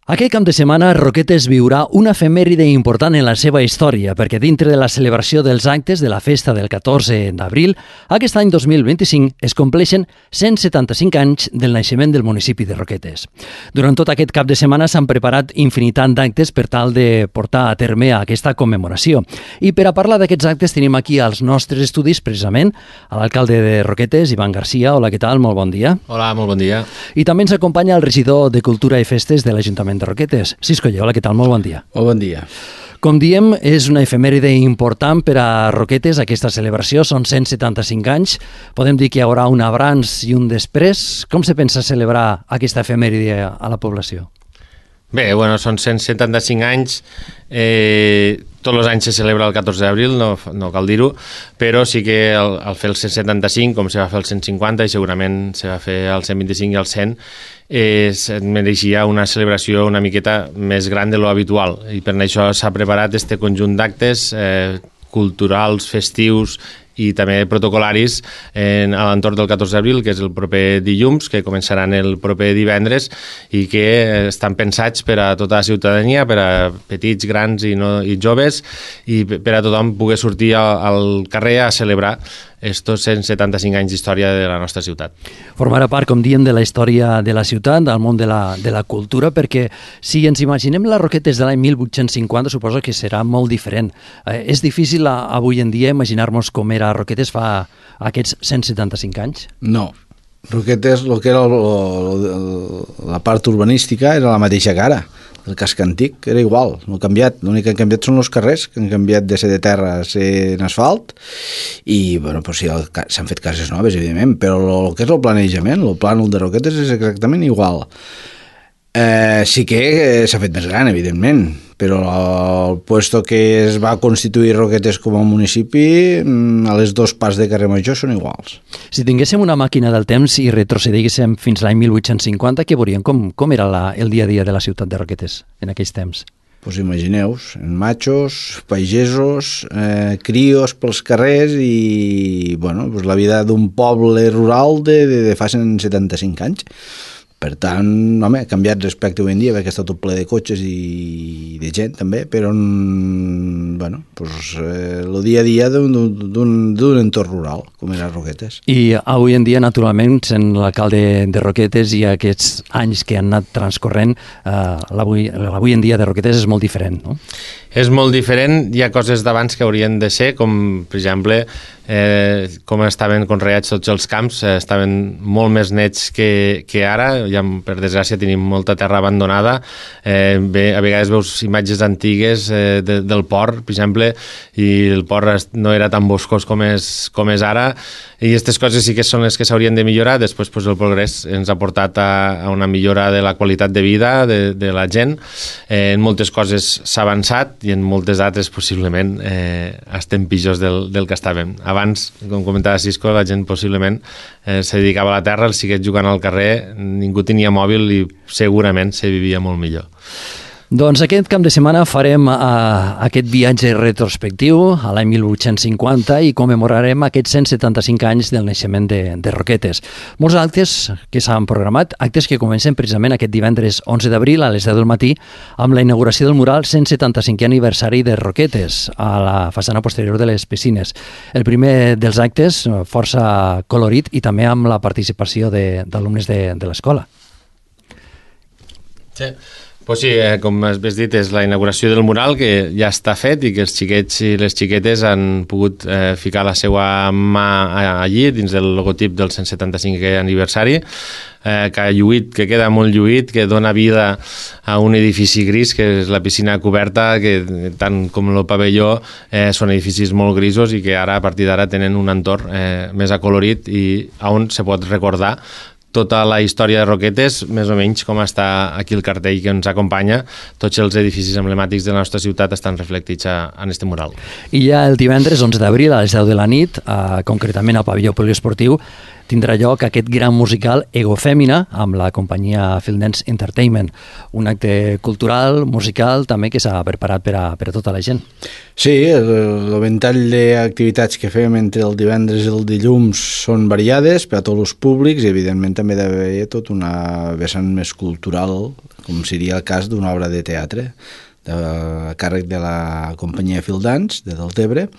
Aquest cap de setmana, Roquetes viurà una efemèride important en la seva història, perquè dintre de la celebració dels actes de la festa del 14 d'abril, aquest any 2025 es compleixen 175 anys del naixement del municipi de Roquetes. Durant tot aquest cap de setmana s'han preparat infinitat d'actes per tal de portar a terme aquesta commemoració. I per a parlar d'aquests actes tenim aquí als nostres estudis, precisament, a l'alcalde de Roquetes, Ivan Garcia. Hola, què tal? Molt bon dia. Hola, molt bon dia. I també ens acompanya el regidor de Cultura i Festes de l'Ajuntament de Roquetes, Cisco Lleó. Hola, què tal? Molt bon dia. Molt bon dia. Com diem, és una efemèride important per a Roquetes, aquesta celebració. Són 175 anys. Podem dir que hi haurà un abans i un després. Com se pensa celebrar aquesta efemèride a la població? Bé, són 175 anys. Tots els anys se celebra el 14 d'abril, no cal dir-ho, però sí que al fer el 175, com se va fer el 150 i segurament se va fer el 125 i el 100, mereixia una celebració una miqueta més gran de lo habitual, i per això s'ha preparat este conjunt d'actes culturals, festius i també protocolaris a l'entorn del 14 d'abril, que és el proper dilluns, que començaran el proper divendres i que estan pensats per a tota la ciutadania, per a petits, grans i joves, i per a tothom poder sortir al carrer a celebrar estos 175 anys d'història de la nostra ciutat. Formarà part, com diem, de la història de la ciutat, del món de la cultura, perquè si ens imaginem les Roquetes de l'any 1850, suposo que serà molt diferent. És difícil avui en dia imaginar-nos com era Roquetes fa aquests 175 anys? No. Roquetes, el que era la part urbanística, era la mateixa que ara. El casc antic era igual, no ha canviat. L'únic que han canviat són els carrers, que han canviat de ser de terra a ser en asfalt, i sí, s'han fet cases noves, evidentment, però el que és el planejament, el plànol de Roquetes és exactament igual. Sí que s'ha fet més gran, evidentment, però el puesto que es va constituir Roquetes com a municipi, a les dos parts de carrer Major són iguals. Si tinguéssim una màquina del temps i retrocedíssim fins l'any 1850, què veuríem? Com era el dia a dia de la ciutat de Roquetes en aquells temps? Pues imagineu-vos, machos, pagesos, crios pels carrers i la vida d'un poble rural de fa 175 anys. Per tant, ha canviat respecte avui en dia, perquè està tot ple de cotxes i de gent també, però el dia a dia d'un entorn rural, com era Roquetes. I avui en dia, naturalment, sent l'alcalde de Roquetes i aquests anys que han anat transcorrent, l'avui en dia de Roquetes és molt diferent, no? És molt diferent, hi ha coses d'abans que haurien de ser, com per exemple com estaven conreats tots els camps, estaven molt més nets que ara, ja, per desgràcia tenim molta terra abandonada, a vegades veus imatges antigues del port, per exemple, i el port no era tan boscós com és ara, i aquestes coses sí que són les que s'haurien de millorar. Després el progrés ens ha portat a una millora de la qualitat de vida de la gent. En moltes coses s'ha avançat i en moltes altres possiblement estem pitjors del que estàvem. Abans, com comentava Cisco, la gent possiblement se dedicava a la terra, els sigués jugant al carrer, ningú tenia mòbil i segurament se vivia molt millor. Doncs aquest cap de setmana farem aquest viatge retrospectiu a l'any 1850 i commemorarem aquests 175 anys del naixement de Roquetes. Molts actes que s'han programat, actes que comencen precisament aquest divendres 11 d'abril a les 10 del matí amb la inauguració del mural 175è aniversari de Roquetes a la façana posterior de les piscines. El primer dels actes, força colorit i també amb la participació d'alumnes de l'escola. Sí. Pues sí, com has dit, és la inauguració del mural que ja està fet i que els xiquets i les xiquetes han pogut ficar la seva mà allí dins del logotip del 175è aniversari, que queda molt lluït, que dona vida a un edifici gris, que és la piscina coberta, que tant com el pavelló són edificis molt grisos i que ara, a partir d'ara, tenen un entorn més acolorit i on se pot recordar tota la història de Roquetes, més o menys com està aquí el cartell que ens acompanya. Tots els edificis emblemàtics de la nostra ciutat estan reflectits en este mural. I ja el divendres 11 d'abril a les 10 de la nit, concretament al pavelló poliesportiu, tindrà lloc aquest gran musical Ego Fèmina amb la companyia Fieldness Entertainment, un acte cultural, musical, també que s'ha preparat per a tota la gent. Sí, el ventall d'activitats que fem entre el divendres i el dilluns són variades per a tots els públics i evidentment també hi ha d'haver tot una vessant més cultural com seria el cas d'una obra de teatre a càrrec de la companyia Fil Dance de Deltebre,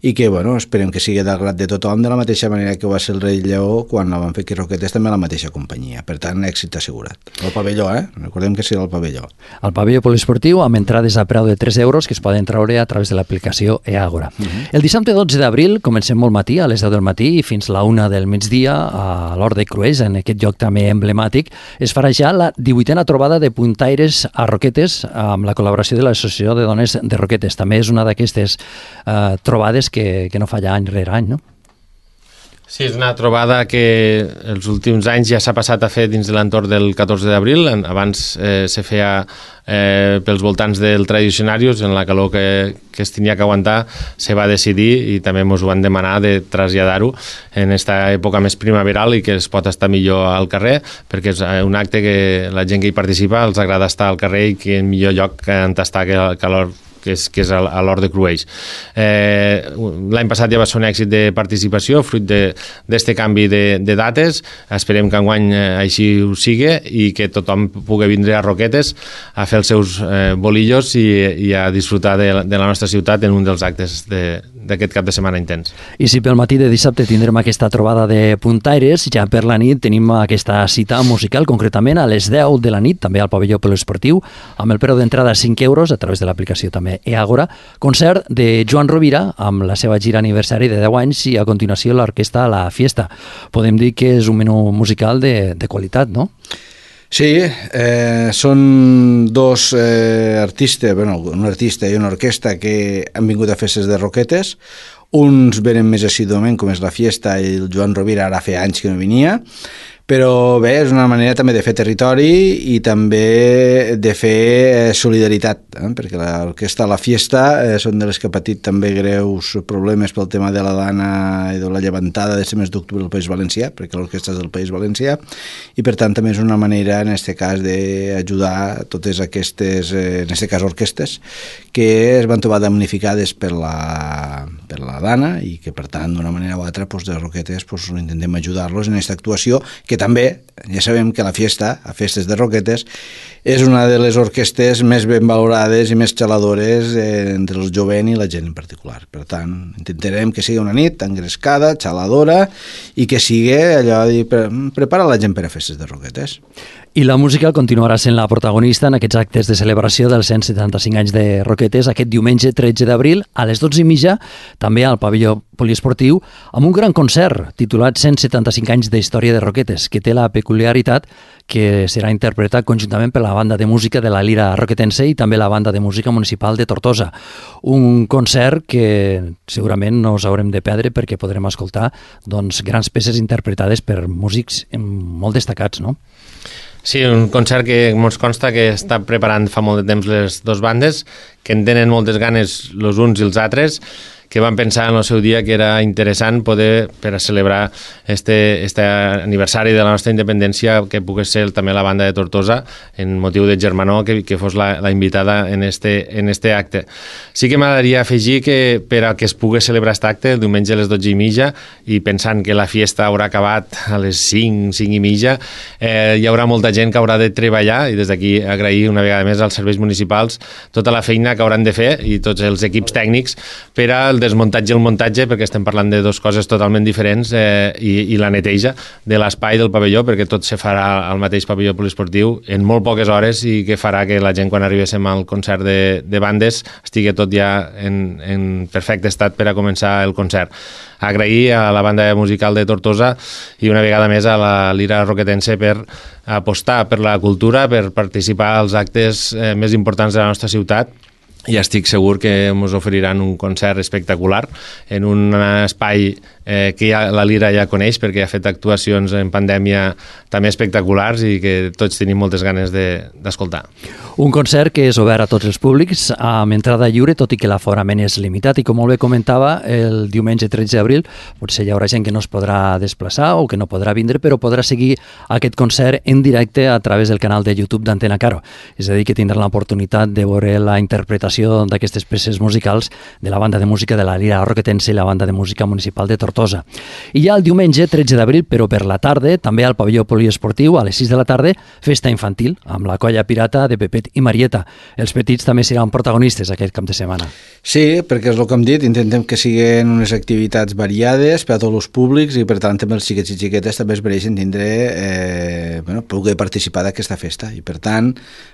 i que esperem que sigui del grat de tothom, de la mateixa manera que ho va ser el Rei Lleó quan la van fer aquí Roquetes, també la mateixa companyia. Per tant, èxit assegurat. El pavelló, recordem que serà el pavelló. El pavelló poliesportiu amb entrades a preu de 3 euros que es poden treure a través de l'aplicació eAgora. El dissabte 12 d'abril comencem molt matí, a les 10 del matí i fins la 1 del migdia a l'Hort de Crueix, en aquest lloc també emblemàtic, es farà ja la 18a trobada de puntaires a Roquetes amb la col·laboració de l'Associació de Dones de Roquetes. També és una d'aquestes trobades que no falla any rere any, no? Sí, és una trobada que els últims anys ja s'ha passat a fer dins de l'entorn del 14 d'abril. Abans se feia pels voltants del Tradicionarius, en la calor que es tenia que aguantar, se va decidir, i també ens ho van demanar, de traslladar-ho en aquesta època més primaveral i que es pot estar millor al carrer, perquè és un acte que la gent que hi participa els agrada estar al carrer i que en millor lloc on està que és a l'Hort de Crueix. L'any passat ja va ser un èxit de participació, fruit d'este canvi de dates. Esperem que enguany així ho sigui i que tothom pugui vindre a Roquetes a fer els seus bolillos i a disfrutar de la nostra ciutat en un dels actes d'aquest cap de setmana intens. I si pel matí de dissabte tindrem aquesta trobada de puntaires, ja per la nit tenim aquesta cita musical, concretament a les 10 de la nit, també al pavelló poliesportiu, amb el preu d'entrada 5 euros a través de l'aplicació també eAgora, concert de Joan Rovira amb la seva gira aniversari de 10 anys i a continuació l'orquestra La Fiesta. Podem dir que és un menú musical de qualitat, no? Sí, són dos artistes, un artista i una orquestra que han vingut a festes de Roquetes. Uns venen més assiduament, com és La Fiesta, i el Joan Rovira ara feia anys que no venia, però bé, és una manera també de fer territori i també de fer solidaritat, perquè l'orquestra La Fiesta són de les que ha patit també greus problemes pel tema de la dana i de la llevantada de ser mes d'octubre del País Valencià, perquè l'orquestra és del País Valencià, i per tant també és una manera, en aquest cas, d'ajudar totes aquestes, en aquest cas, orquestes, que es van trobar damnificades per la dana i que, per tant, d'una manera o altra, de Roquetes, intentem ajudar-los en aquesta actuació, que també, ja sabem que La Fiesta, a Festes de Roquetes, és una de les orquestes més ben valorades i més xaladores entre el jovent i la gent en particular. Per tant, intentarem que sigui una nit engrescada, xaladora, i que sigui allò de preparar la gent per a Festes de Roquetes. I la música continuarà sent la protagonista en aquests actes de celebració dels 175 anys de Roquetes aquest diumenge 13 d'abril a les 12:30, també al pavelló poliesportiu, amb un gran concert titulat 175 anys d'història de Roquetes, que té la peculiaritat que serà interpretat conjuntament per la banda de música de la Lira Roquetense i també la banda de música municipal de Tortosa. Un concert que segurament no us haurem de perdre perquè podrem escoltar grans peces interpretades per músics molt destacats, no? Sí, un concert que ens consta que està preparant fa molt de temps les dues bandes, que en tenen moltes ganes els uns i els altres, que van pensar en el seu dia que era interessant poder, per a celebrar este aniversari de la nostra independència, que pogués ser també la banda de Tortosa, en motiu de germanor, que fos la invitada en este acte. Sí que m'agradaria afegir que per a que es pugui celebrar aquest acte, el diumenge a les 12:30, i pensant que la fiesta haurà acabat a les 5:30, hi haurà molta gent que haurà de treballar, i des d'aquí agrair una vegada més als serveis municipals tota la feina que hauran de fer i tots els equips tècnics per al desmuntatge i el muntatge, perquè estem parlant de dues coses totalment diferents, i la neteja de l'espai del pavelló, perquè tot se farà al mateix pavelló poliesportiu en molt poques hores, i que farà que la gent, quan arribéssim al concert de bandes, estigui tot ja en perfecte estat per a començar el concert. Agrair a la banda musical de Tortosa i una vegada més a la Lira Roquetense per apostar per la cultura, per participar als actes més importants de la nostra ciutat, i estic segur que ens oferiran un concert espectacular en un espai que la Lira ja coneix, perquè ha fet actuacions en pandèmia també espectaculars i que tots tenim moltes ganes d'escoltar. Un concert que és obert a tots els públics amb entrada lliure, tot i que l'aforament és limitat, i com molt bé comentava, el diumenge 13 d'abril potser hi haurà gent que no es podrà desplaçar o que no podrà vindre, però podrà seguir aquest concert en directe a través del canal de YouTube d'Antena Caro. És a dir, que tindran l'oportunitat de veure la interpretació d'aquestes peces musicals de la banda de música de la Lira Roquetense i la banda de música municipal de Tortosa. Tortosa. I ja el diumenge 13 d'abril, però per la tarda, també al pavelló poliesportiu, a les 6 de la tarda, festa infantil, amb la colla pirata de Pepet i Marieta. Els petits també seran protagonistes aquest cap de setmana. Sí, perquè és el que hem dit, intentem que siguin unes activitats variades per a tots els públics i per tant també els xiquets i xiquetes també es mereixen tindre, poder participar d'aquesta festa i per tant,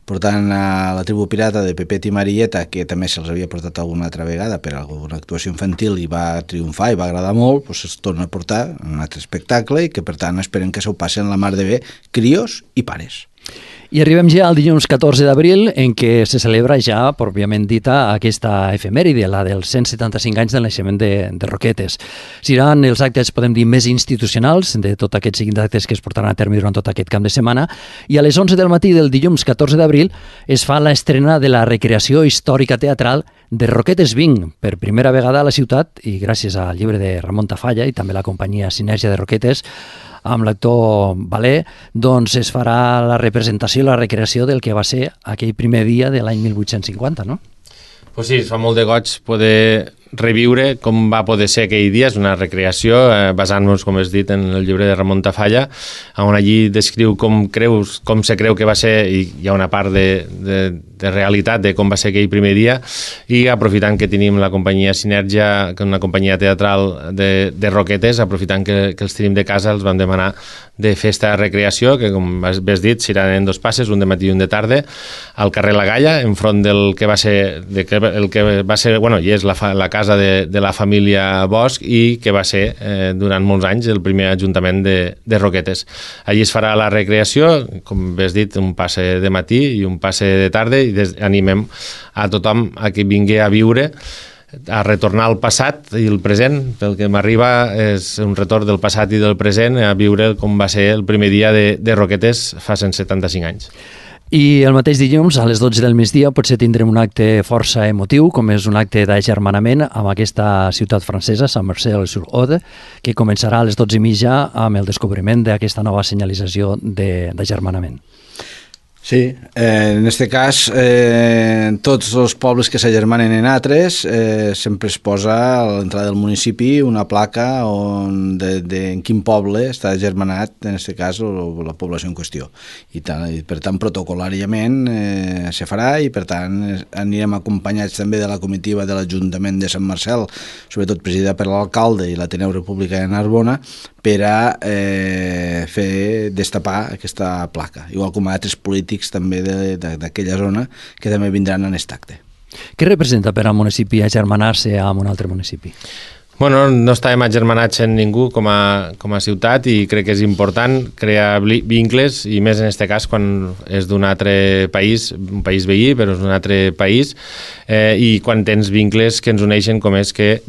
portant a la tribu pirata de Pepet i Marieta, que també se'ls havia portat alguna altra vegada per alguna actuació infantil i va triomfar i va agradar molt, doncs es torna a portar un altre espectacle i que per tant esperem que s'ho passen la mar de bé crios i pares. I arribem ja al dilluns 14 d'abril, en què se celebra ja, pròpiament dita, aquesta efemèride, la dels 175 anys del naixement de Roquetes. Seran els actes, podem dir, més institucionals de tot aquest seguit d'actes que es portaran a terme durant tot aquest cap de setmana, i a les 11 del matí del dilluns 14 d'abril es fa l'estrena de la recreació històrica teatral de Roquetes Vinc, per primera vegada a la ciutat, i gràcies al llibre de Ramon Tafalla i també la companyia Sinergia de Roquetes, amb l'actor Valé, doncs es farà la representació i la recreació del que va ser aquell primer dia de l'any 1850, no? Pues sí, es fa molt de goig poder reviure com va poder ser aquell dia. És una recreació basant-nos, com has dit, en el llibre de Ramon Tafalla, on allí descriu com se creu que va ser, i hi ha una part de realitat de com va ser aquell primer dia, i aprofitant que tenim la companyia Sinergia, una companyia teatral de Roquetes, aprofitant que els tenim de casa, els vam demanar de festa de recreació, que com has dit, seran en 2 passes, un de matí i un de tarda, al carrer La Galla, enfront del que va ser, i és la casa de la família Bosch i que va ser durant molts anys el primer ajuntament de Roquetes. Allí es farà la recreació, com has dit, un passe de matí i un passe de tarda, i animem a tothom a que vingui a viure, a retornar al passat i el present. Pel que m'arriba és un retorn del passat i del present, a viure com va ser el primer dia de Roquetes fa 175 anys. I el mateix dilluns, a les 12 del migdia, potser tindrem un acte força emotiu, com és un acte d'agermanament amb aquesta ciutat francesa, Saint-Marcel-sur-Aude, que començarà a les 12:30 amb el descobriment d'aquesta nova senyalització d'agermanament. Sí, en aquest cas tots els pobles que s'agermanen en altres sempre es posa a l'entrada del municipi una placa en quin poble està agermanat, en aquest cas la població en qüestió, i per tant protocolàriament se farà, i per tant anirem acompanyats també de la comitiva de l'Ajuntament de Sant Marcel, sobretot presidida per l'alcalde i l'Ateneu República de Narbona, per a fer destapar aquesta placa, igual com altres polítics també d'aquella zona que també vindran en aquest acte. Què representa per al municipi agermanar-se amb un altre municipi? Bueno, no estàvem agermanats en ningú com a ciutat, i crec que és important crear vincles, i més en aquest cas quan és d'un altre país, un país veí, però és d'un altre país, i quan tens vincles que ens uneixen, com és que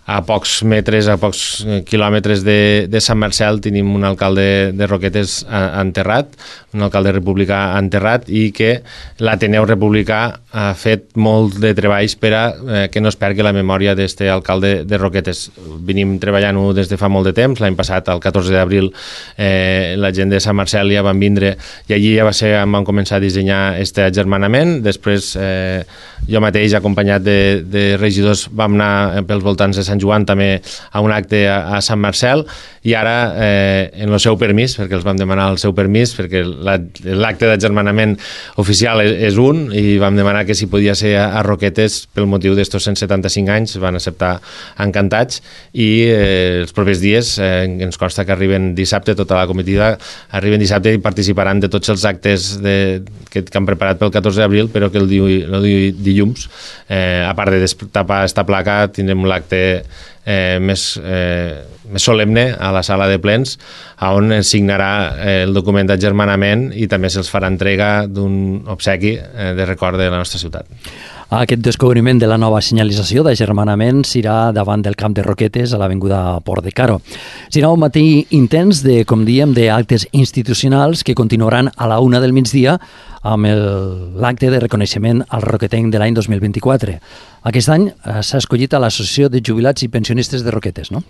a pocs metres, a pocs quilòmetres de Sant Marcel tenim un alcalde de Roquetes enterrat, un alcalde republicà enterrat, i que l'Ateneu Republicà ha fet molt de treballs per a que no es perdi la memòria d'aquest alcalde de Roquetes. Venim treballant-ho des de fa molt de temps. L'any passat, el 14 d'abril, la gent de Sant Marcel ja van vindre, i allí ja vam començar a dissenyar aquest agermanament. Després jo mateix, acompanyat de regidors, vam anar pels voltants de Sant Joan també a un acte a Sant Marcel, i ara en el seu permís, perquè els vam demanar el seu permís, perquè l'acte d'agermanament oficial és un, i vam demanar que si podia ser a Roquetes pel motiu d'estos 175 anys, van acceptar encantats, i els propers dies ens consta que arriben dissabte, tota la comitiva arriben dissabte i participaran de tots els actes que han preparat pel 14 d'abril, però que el dilluns, a part de destapar esta placa, tindrem l'acte més solemne a la sala de plens, on es signarà el document d'agermanament i també se'ls farà entrega d'un obsequi de record de la nostra ciutat. Aquest descobriment de la nova senyalització d'agermanament serà davant del camp de Roquetes a l'avinguda Port de Caro. Serà un matí intens com diem, d'actes institucionals que continuaran a la 1 del migdia amb l'acte de reconeixement al roquetenc de l'any 2024. Aquest any s'ha escollit a l'Associació de Jubilats i Pensionistes de Roquetes, no?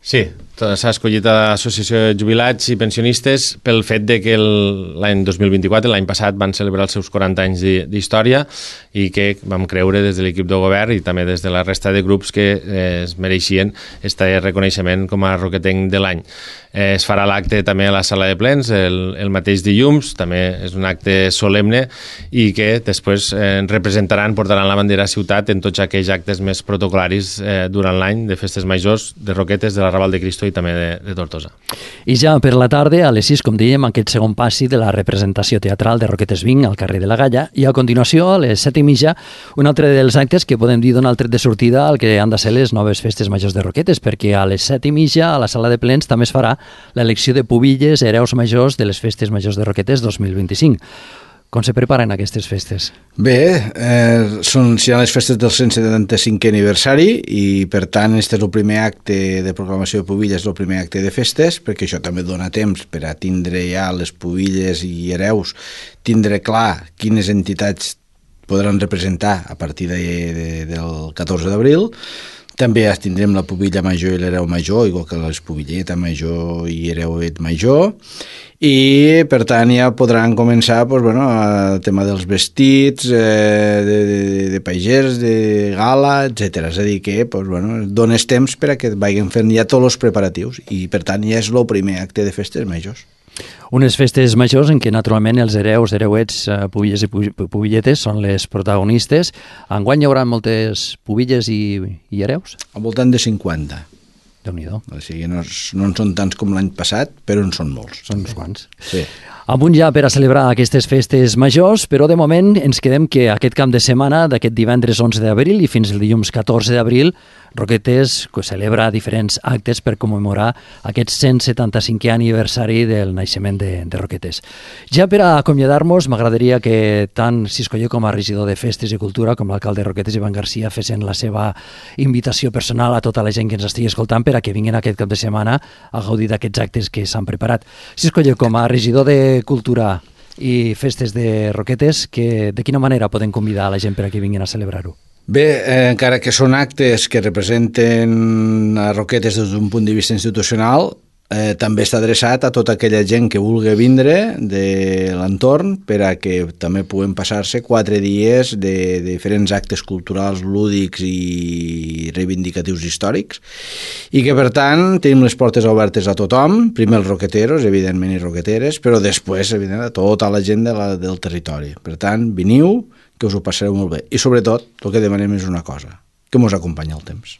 Sí, s'ha escollit a l'Associació de Jubilats i Pensionistes pel fet de que l'any 2024, l'any passat, van celebrar els seus 40 anys d'història i que vam creure des de l'equip de govern i també des de la resta de grups que es mereixien este reconeixement com a roquetenc de l'any. Es farà l'acte també a la sala de plens el mateix dilluns, també és un acte solemne i que després representaran, portaran la bandera ciutat en tots aquells actes més protocolaris durant l'any de festes majors, de Roquetes, de la Raval de Cristo i també de Tortosa. I ja per la tarda, a les 6, com dèiem, aquest segon passi de la representació teatral de Roquetes 20 al carrer de la Galla, i a continuació, a les 7:30, un altre dels actes que podem dir donar el tret de sortida al que han de ser les noves festes majors de Roquetes, perquè a les 7:30 a la sala de plens també es farà l'elecció de pubilles hereus majors de les festes majors de Roquetes 2025. Com se preparen aquestes festes? Bé, seran les festes del 175è aniversari i, per tant, este és el primer acte de proclamació de pubilles, el primer acte de festes, perquè això també dona temps per a tindre ja les pubilles i hereus, tindre clar quines entitats podran representar a partir del 14 d'abril. També tindrem la pubilla major i l'hereu major, igual que l'espubilleta major i hereuet major, i per tant ja podran començar el tema dels vestits, de pagès, de gala, etc. És a dir que dones temps per a que vagin fent ja tots els preparatius i per tant ja és el primer acte de festes majors. Unes festes majors en què naturalment els hereus, hereuets, pubilles i pubilletes són les protagonistes. Enguany hi haurà moltes pubilles i hereus? Al voltant de 50. Déu-n'hi-do. O sigui, no en són tants com l'any passat, però en són molts. Són uns quants. Sí. Amunt ja per a celebrar aquestes festes majors, però de moment ens quedem que aquest cap de setmana, d'aquest divendres 11 d'abril i fins el dilluns 14 d'abril, Roquetes celebra diferents actes per commemorar aquest 175è aniversari del naixement de Roquetes. Ja per a acomiadar-nos, m'agradaria que tant Ciscoller com a regidor de Festes i Cultura, com l'alcalde de Roquetes, Ivan Garcia, fessin la seva invitació personal a tota la gent que ens estigui escoltant per a que vinguin aquest cap de setmana a gaudir d'aquests actes que s'han preparat. Ciscoller, com a regidor de Cultura i Festes de Roquetes, de quina manera podem convidar a la gent per a que vinguin a celebrar-ho? Bé, encara que són actes que representen a Roquetes des d'un punt de vista institucional, també està adreçat a tota aquella gent que vulgui vindre de l'entorn per a que també puguem passar-se 4 dies de diferents actes culturals, lúdics i reivindicatius històrics i que per tant tenim les portes obertes a tothom, primer els roqueteros, evidentment i roqueteres, però després evidentment a tota la gent del territori. Per tant, veniu, que us ho passareu molt bé. I sobretot, el que demanem és una cosa, que mos acompanyi el temps.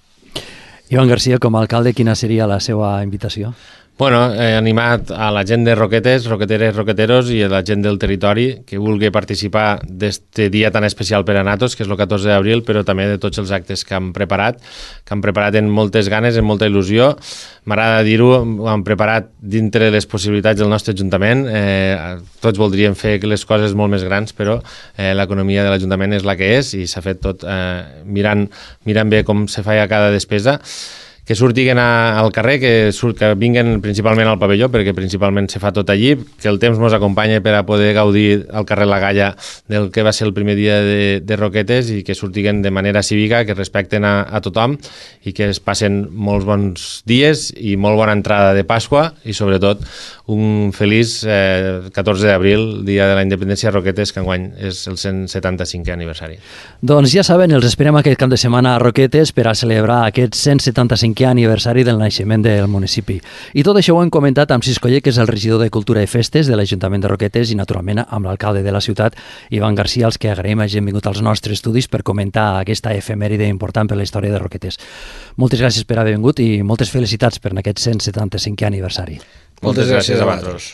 Ivan Garcia, com a alcalde, quina seria la seva invitació? Bueno, he animat a la gent de Roquetes, roqueteres, roqueteros i a la gent del territori que vulgui participar d'este dia tan especial per a natos, que és el 14 d'abril, però també de tots els actes que han preparat en moltes ganes, en molta il·lusió. M'agrada dir-ho, ho han preparat dintre les possibilitats del nostre Ajuntament. Tots voldríem fer les coses molt més grans, però l'economia de l'Ajuntament és la que és i s'ha fet tot mirant bé com se fa a cada despesa. Que surtin al carrer, que vinguen principalment al pavelló, perquè principalment se fa tot allí, que el temps ens acompanya per a poder gaudir al carrer La Galla del que va ser el primer dia de Roquetes i que surtin de manera cívica, que respecten a tothom i que es passen molts bons dies i molt bona entrada de Pasqua i sobretot un feliç 14 d'abril, dia de la independència de Roquetes, que enguany és el 175è aniversari. Doncs ja saben, els esperem aquest cap de setmana a Roquetes per a celebrar aquest 175è aniversari del naixement del municipi. I tot això ho hem comentat amb Ciscoller, que és el regidor de Cultura i Festes de l'Ajuntament de Roquetes, i naturalment amb l'alcalde de la ciutat, Ivan Garcia, als que agraïm hagin vingut als nostres estudis per comentar aquesta efemèride important per la història de Roquetes. Moltes gràcies per haver vingut i moltes felicitats per aquest 175è aniversari. Moltes gràcies a vosaltres.